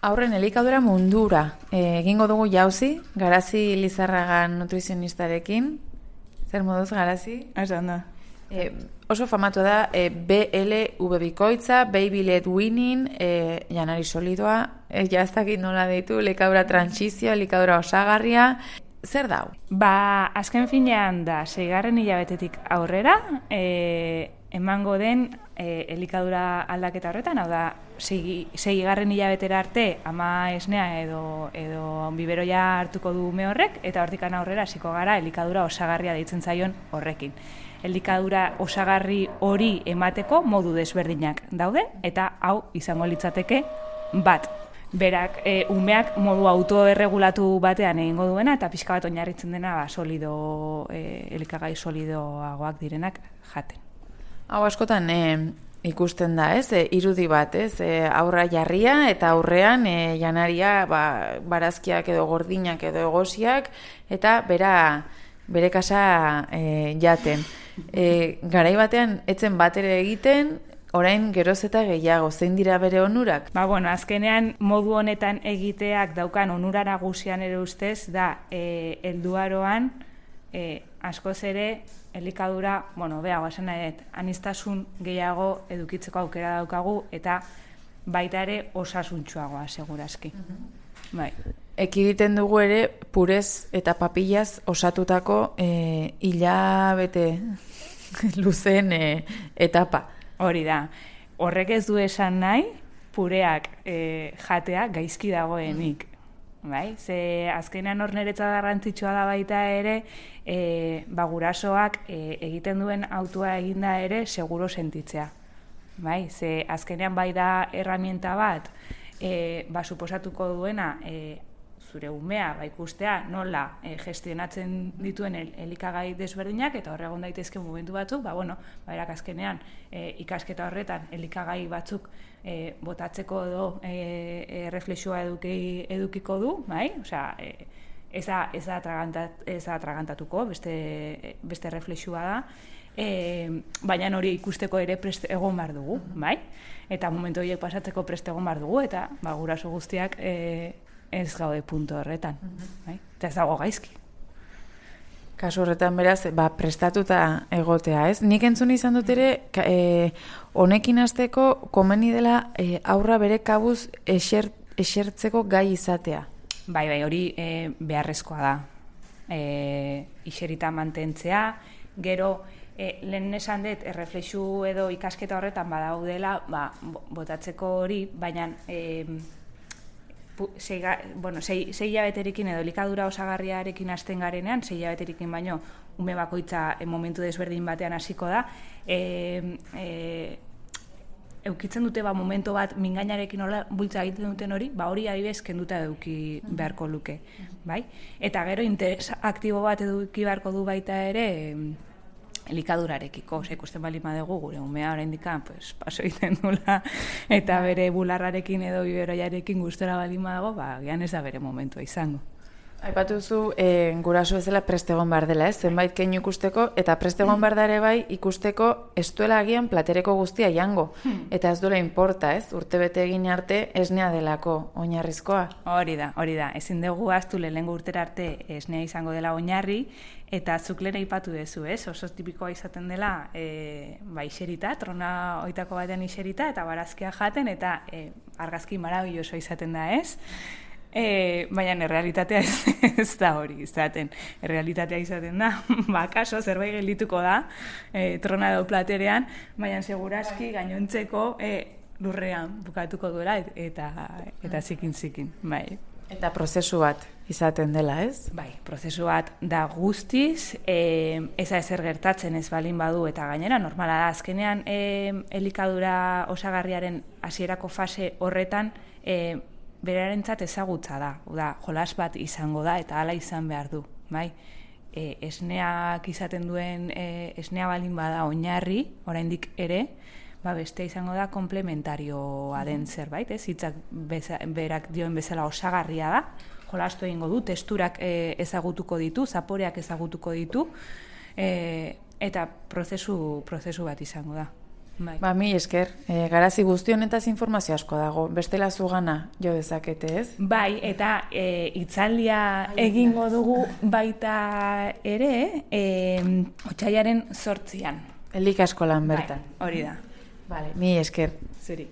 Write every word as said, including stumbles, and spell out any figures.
Aurren elikadura mundura e, egingo dugu jauzi, Garazi Lizarragan nutrizionistarekin. Zer moduz, Garazi? Oso ondo. E, oso famatu da e, B L V bikoitza, Baby Led Winning, e, janari solidoa, e, jaztakit nola deitu, elikadura transizio, elikadura osagarria. Zer dau? Ba, azken finean da, seigarren hilabetetik aurrera, e, emango den e, elikadura aldaketa horretan, hau da, seigarren hilabetera arte ama esnea edo, edo biberoia hartuko du ume horrek, eta hortikan aurrera hasiko gara elikadura osagarria deitzen zaion horrekin. Elikadura osagarri hori emateko modu desberdinak daude, eta hau izango litzateke bat. Berak, e, umeak modu autoerregulatu batean egingo duena, eta pixka bat oinarritzen dena ba, solido, e, elikagai solidoagoak direnak jaten. Hau askotan e, ikusten da, ez? E, irudi bat, ez? E, aurra jarria eta aurrean e, janaria ba, barazkiak edo gordinak edo egosiak eta bera bere kasa e, jaten. E, garai batean etzen bat ere egiten, orain geroz eta gehiago, zein dira bere onurak? Ba, bueno, azkenean modu honetan egiteak daukan onura nagusian ere ustez da e, helduaroan e, askoz ere elikadura, bueno, behago esan nahi dut, aniztasun gehiago edukitzeko aukera daukagu eta baita ere osasuntsuagoa segurazki. Uh-huh. Bai. Ekiditen dugu ere purez eta papilaz osatutako e, hilabete luzen e, etapa. Hori da, horrek ez du esan nahi, pureak e, jatea gaizki dagoenik. Bai? Ze azkenean hor niretza garrantzitsua da baita ere, e, ba, gurasoak e, egiten duen autua eginda ere seguro sentitzea. Bai? Ze azkenean bai da erramienta bat, e, ba, suposatuko duena, e, zure umea ba, ikustea nola e, gestionatzen dituen el, elikagai desberdinak eta horregon daitezke momentu batzuk, ba, bueno, ba, erak azkenean e, ikasketa horretan elikagai batzuk e, botatzeko edo e, e, reflexioa eduki, edukiko du, bai? Osea, e, ez da, ez da, atragantat, ez da atragantatuko, beste, beste reflexioa da, e, baina hori ikusteko ere prest egon behar dugu, bai? Eta momentu horiek pasatzeko prest egon behar dugu, eta ba, guraso guztiak e, ez gaude puntu horretan, bai? Eta ez dago gaizki. Kasu horretan beraz, ba, prestatuta egotea, ez? Nik entzun izan dut ere, e, honekin hasteko komeni dela e, aurra bere kabuz eser, esertzeko gai izatea. Bai, bai, hori e, beharrezkoa da. E, iserita mantentzea, gero, e, lehen esan dut, erreflexu edo ikasketa horretan badaudela, ba, botatzeko hori, baina e, Sei, bueno, sei, sei hilabeterekin edo elikadura osagarriarekin hasten garenean, sei hilabeterekin baino ume bakoitza momentu desberdin batean hasiko da, e, e, eukitzen dute ba, momentu bat mingainarekin hola bultza egiten duten hori, ba hori adibidez kenduta eduki beharko luke, bai? Eta gero interes aktibo bat eduki beharko du baita ere elikadurarekiko, ose, ikusten bali madugu gure umea oraindik pues, paso egiten dula eta bere bularrarekin edo biberoiarekin gustora bali madago, ba, gian ez da bere momentua izango. Aipatuzu, e, guraso bezala prest egon behar dela, ez? Zenbait keinu ikusteko, eta prest egon behar da ere bai ikusteko ez duela agian platereko guztia jango. Hmm. Eta ez duela inporta, ez? Urtebete egin arte esnea delako oinarrizkoa. Hori da, hori da. Ezin dugu ahaztu lehengo urtera arte esnea izango dela oinarri, eta zuk lehen aipatu dezu, ez? Oso tipikoa izaten dela e, ba, iserita, trona oitako batean iserita, eta barazkia jaten, eta e, argazki marabilloso izaten da, ez? E, baina errealitatea ez, ez da hori izaten. Errealitatea izaten da, bakaso zerbait geldituko da, e, trona edo platerean, baina segurazki gainontzeko e, lurrean bukatuko duela eta, eta zikin-zikin, bai. Eta prozesu bat izaten dela, ez? Bai, prozesu bat da guztiz, e, eza ezer gertatzen ez balin badu, eta gainera normala da, azkenean e, elikadura osagarriaren hasierako fase horretan, e, berarentzat ezagutza da, da, jolas bat izango da eta hala izan behar du, bai? E, esneak izaten duen, e, esnea balin bada oinarri, oraindik ere, ba beste izango da komplementarioa den zerbait, ez? Hitzak berak dioen bezala osagarria da, jolastu egingo du, testurak e, ezagutuko ditu, zaporeak ezagutuko ditu, e, eta prozesu, prozesu bat izango da. Bai. Ba, mi esker, e, garazi guzti honetaz informazio asko dago, bestela zugana jo dezakete, ez? Bai, eta e, itzaldia egingo dugu baita ere, e, otsailaren zortzian. Elikaskolan bertan. Bai, hori da. Vale, mi esker. Zuri.